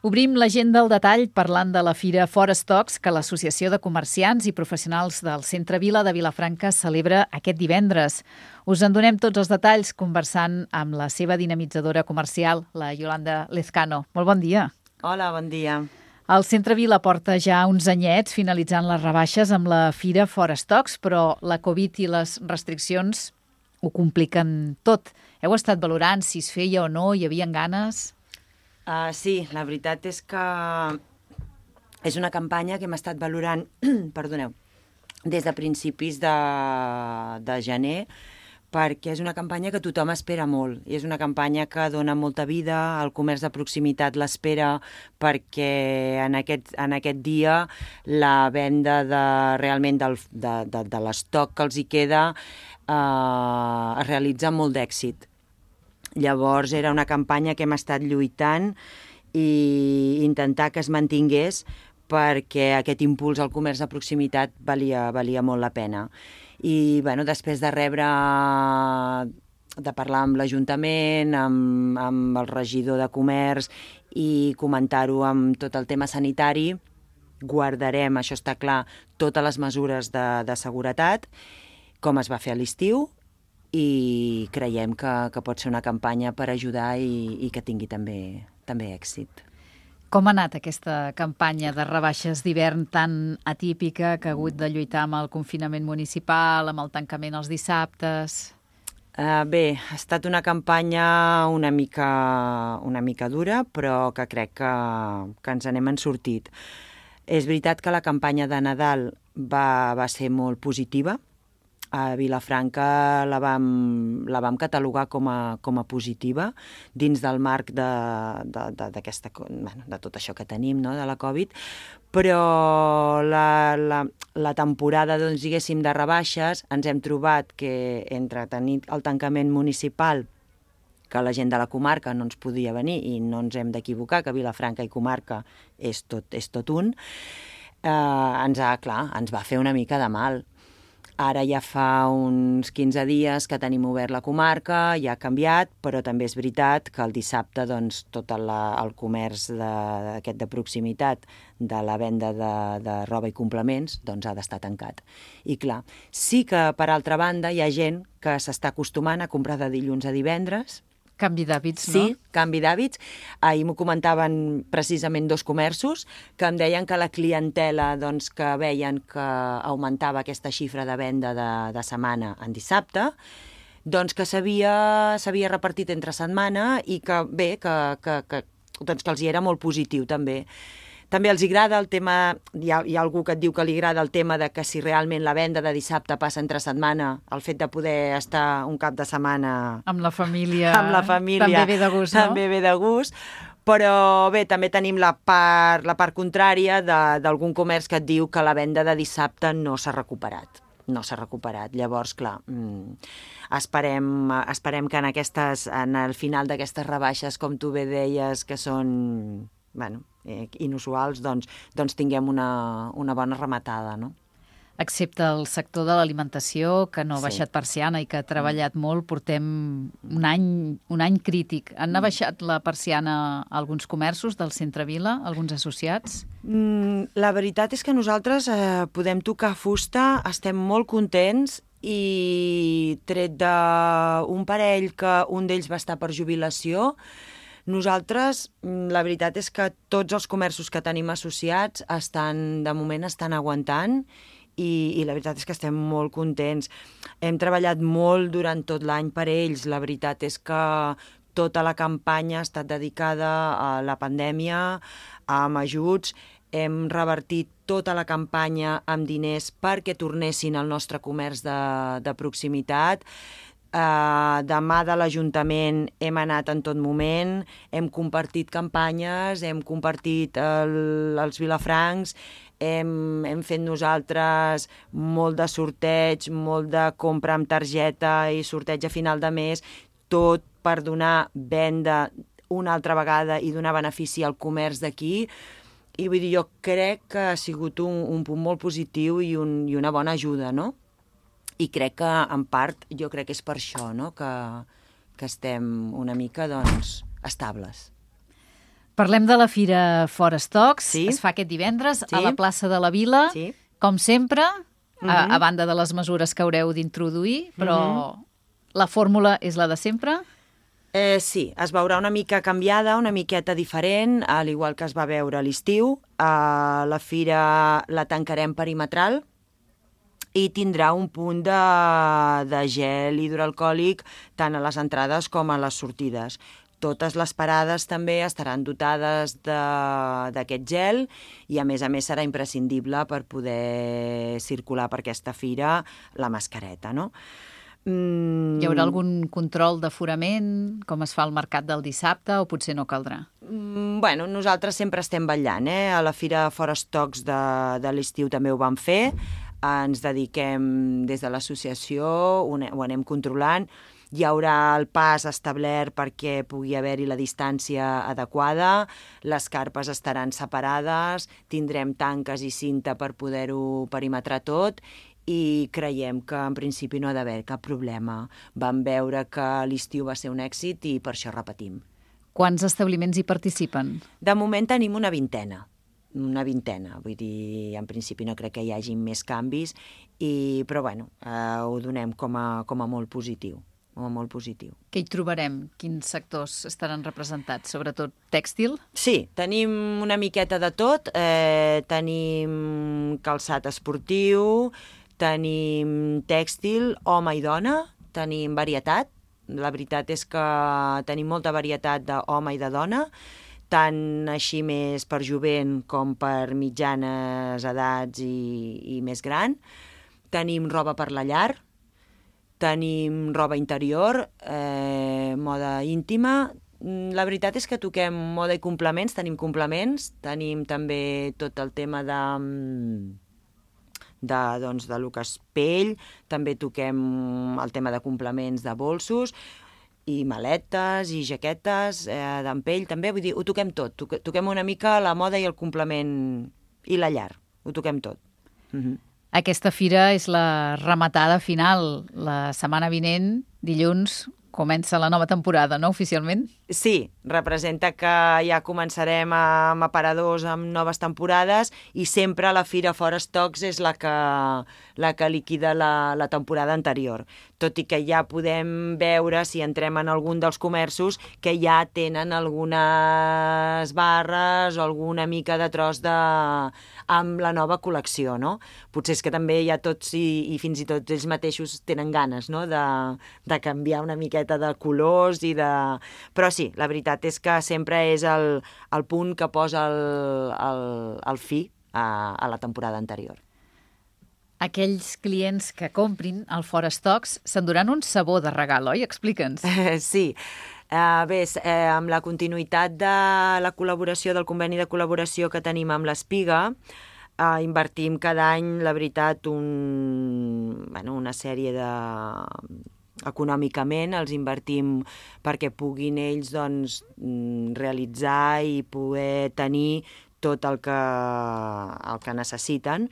Obrim l'agenda al detall parlant de la Fira Fora Stocks que l'Associació de Comerciants i Professionals del Centre Vila de Vilafranca celebra aquest divendres. Us en donem tots els detalls conversant amb la seva dinamitzadora comercial, la Yolanda Lezcano. Molt bon dia. Hola, bon dia. El Centre Vila porta ja uns anyets finalitzant les rebaixes amb la Fira Fora Stocks, però la Covid i les restriccions ho compliquen tot. Heu estat valorant si es feia o no, hi havia ganes? Sí, la veritat és que és una campanya que hem estat valorant perdoneu, des de principis de gener, perquè és una campanya que tothom espera molt. I és una campanya que dona molta vida, el comerç de proximitat l'espera perquè en aquest dia la venda realment de l'estoc que els hi queda es realitza amb molt d'èxit. Llavors era una campanya que hem estat lluitant i intentar que es mantingués perquè aquest impuls al comerç de proximitat valia molt la pena. I després de parlar amb l'Ajuntament, amb el regidor de comerç i comentar-ho amb tot el tema sanitari, guardarem, això està clar, totes les mesures de seguretat, com es va fer a l'estiu, i creiem que pot ser una campanya per ajudar i que tingui també èxit. Com ha anat aquesta campanya de rebaixes d'hivern tan atípica que ha hagut de lluitar amb el confinament municipal, amb el tancament els dissabtes? Bé, ha estat una campanya una mica dura, però que crec que ens n'hem sortit. És veritat que la campanya de Nadal va ser molt positiva. A Vilafranca la vam catalogar com a positiva dins del marc de tot això que tenim, no?, de la Covid, però la temporada, diguéssim, de rebaixes ens hem trobat que entre tenir el tancament municipal, que la gent de la comarca no ens podia venir i no ens hem d'equivocar, que Vilafranca i comarca és tot un, ens va fer una mica de mal. Ara ja fa uns 15 dies que tenim obert la comarca, ja ha canviat, però també és veritat que el dissabte tot el comerç aquest de proximitat de la venda de roba i complements ha d'estar tancat. I clar, sí que per altra banda hi ha gent que s'està acostumant a comprar de dilluns a divendres. Canvi d'hàbits, no? Sí, canvi d'hàbits. Ahir m'ho comentaven precisament dos comerços que em deien que la clientela que veien que augmentava aquesta xifra de venda de setmana en dissabte, que s'havia repartit entre setmana i que bé, que els hi era molt positiu també. També els agrada el tema, hi ha algú que et diu que li agrada el tema de que si realment la venda de dissabte passa entre setmana, el fet de poder estar un cap de setmana amb la família també ve de gust, no? També ve de gust, però bé, també tenim la part contrària d'algun comerç que et diu que la venda de dissabte no s'ha recuperat. Llavors, clar, esperem que en el final d'aquestes rebaixes, com tu bé deies, que són inusuals, tinguem una bona rematada, no? Excepte el sector de l'alimentació, que no ha baixat persiana i que ha treballat molt, portem un any crític. Han abaixat la persiana a alguns comerços del Centre Vila, alguns associats? La veritat és que nosaltres podem tocar fusta, estem molt contents i tret d'un parell que un d'ells va estar per jubilació, nosaltres, la veritat és que tots els comerços que tenim associats de moment estan aguantant i la veritat és que estem molt contents. Hem treballat molt durant tot l'any per ells. La veritat és que tota la campanya ha estat dedicada a la pandèmia, amb ajuts. Hem revertit tota la campanya amb diners perquè tornessin al nostre comerç de proximitat. De mà de l'Ajuntament hem anat en tot moment, hem compartit campanyes, hem compartit els vilafrancs, hem fet nosaltres molt de sorteig, molt de compra amb targeta i sorteig a final de mes, tot per donar venda una altra vegada i donar benefici al comerç d'aquí. I vull dir, jo crec que ha sigut un punt molt positiu i una bona ajuda, no? I crec que, en part, jo crec que és per això, no?, que estem una mica, estables. Parlem de la Fira Fora Stocks. Sí. Es fa aquest divendres Sí. a la plaça de la Vila. Sí. Com sempre, a banda de les mesures que haureu d'introduir, però la fórmula és la de sempre? Sí, es veurà una mica canviada, una miqueta diferent, al igual que es va veure a l'estiu. La fira la tancarem perimetral i tindrà un punt de gel hidroalcohòlic tant a les entrades com a les sortides. Totes les parades també estaran dotades d'aquest gel i, a més serà imprescindible per poder circular per aquesta fira la mascareta, no? Hi haurà algun control d'aforament, com es fa al mercat del dissabte, o potser no caldrà? Bueno, nosaltres sempre estem vetllant, A la Fira Fora Stocks de l'estiu també ho vam fer. Ens dediquem des de l'associació, ho anem controlant. Hi haurà el pas establert perquè pugui haver-hi la distància adequada, les carpes estaran separades, tindrem tanques i cinta per poder-ho perimetrar tot i creiem que en principi no ha d'haver cap problema. Vam veure que l'estiu va ser un èxit i per això repetim. Quants establiments hi participen? De moment tenim una vintena, vull dir, en principi no crec que hi hagi més canvis, però bueno, ho donem com a molt positiu. Molt positiu. Què hi trobarem? Quins sectors estaran representats? Sobretot tèxtil? Sí, tenim una miqueta de tot. Tenim calçat esportiu, tenim tèxtil, home i dona, tenim varietat. La veritat és que tenim molta varietat d'home i de dona, tant així més per jovent com per mitjanes edats i més gran. Tenim roba per la llar, tenim roba interior, moda íntima. La veritat és que toquem moda i complements, tenim complements, tenim també tot el tema de lo que és pell, també toquem el tema de complements de bolsos, i maletes, i jaquetes d'en pell, també, vull dir, ho toquem tot. Toquem una mica la moda i el complement i la llar, ho toquem tot. Aquesta fira és la rematada final. La setmana vinent, dilluns, comença la nova temporada, no, oficialment? Sí, representa que ja començarem amb aparadors, amb noves temporades, i sempre la Fira Fora Stocks és la que liquida la temporada anterior. Tot i que ja podem veure, si entrem en algun dels comerços, que ja tenen algunes barres o alguna mica de tros amb la nova col·lecció, no? Potser és que també ja tots i fins i tot ells mateixos tenen ganes, no?, de canviar una miqueta de colors i de... Però sí, la veritat és que sempre és el punt que posa el fi a la temporada anterior. Aquells clients que comprin al Fora Stocks s'enduran un sabó de regal, oi? Explica'ns. Sí. Bé, amb la continuïtat de la col·laboració, del conveni de col·laboració que tenim amb l'Espiga, invertim cada any, la veritat, una sèrie de... Econòmicament els invertim perquè puguin ells realitzar i poder tenir tot el que necessiten.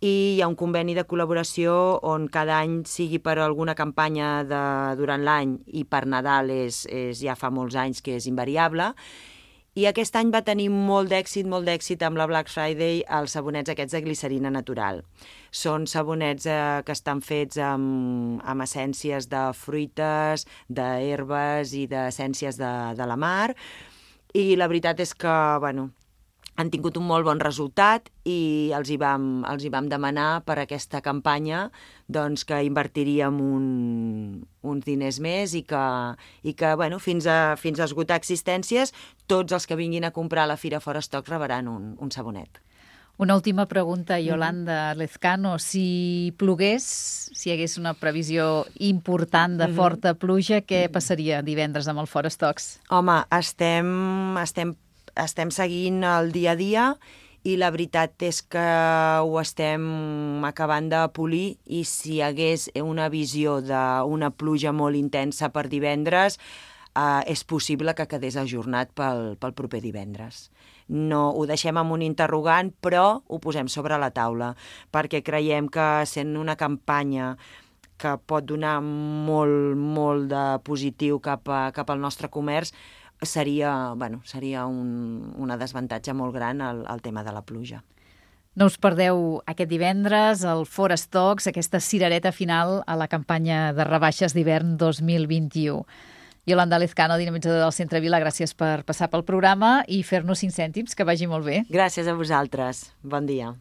I hi ha un conveni de col·laboració on cada any, sigui per alguna campanya durant l'any i per Nadal ja fa molts anys que és invariable. I aquest any va tenir molt d'èxit amb la Black Friday els sabonets aquests de glicerina natural. Són sabonets que estan fets amb essències de fruites, d'herbes i d'essències de la mar. I la veritat és que, han tingut un molt bon resultat i els hi vam demanar per aquesta campanya que invertiríem uns diners més i que fins a esgotar existències, tots els que vinguin a comprar a la Fira Fora Stocks rebran un sabonet. Una última pregunta, Yolanda Lezcano. Si plogués, si hi hagués una previsió important de forta pluja, què passaria divendres amb el Fora Stocks? Home, estem seguint el dia a dia i la veritat és que ho estem acabant de polir, i si hi hagués una visió d'una pluja molt intensa per divendres, és possible que quedés ajornat pel proper divendres. No ho deixem amb un interrogant, però ho posem sobre la taula, perquè creiem que sent una campanya que pot donar molt de positiu cap al nostre comerç, seria una desavantatge molt gran el tema de la pluja. No us perdeu aquest divendres el Forest Talks, aquesta cirereta final a la campanya de rebaixes d'hivern 2021. Iolanda Lezcano, dinamitzadora del Centre Vila, gràcies per passar pel programa i fer-nos 5 cèntims, que vagi molt bé. Gràcies a vosaltres. Bon dia.